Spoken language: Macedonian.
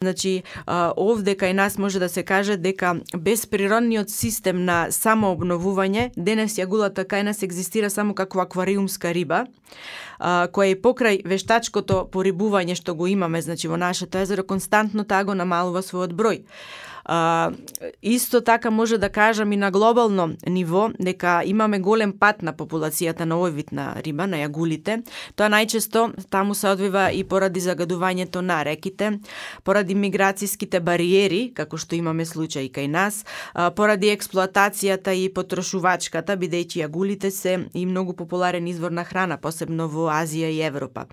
Значи, овде кај нас може да се каже дека без природниот систем на самообновување, денес јагулата кај нас екзистира само како аквариумска риба, која и покрај вештачкото порибување што го имаме, значи во нашето езеро, константно таа го намалува својот број. Исто така може да кажам и на глобално ниво дека имаме голем пат на популацијата на овој вид на риба, на јагулите. Тоа најчесто таму се одвива и поради загадувањето на реките, поради миграцијските бариери, како што имаме случаи кај нас, поради експлоатацијата и потрошувачката, бидејќи јагулите се и многу популарен извор на храна, посебно во Азија и Европа.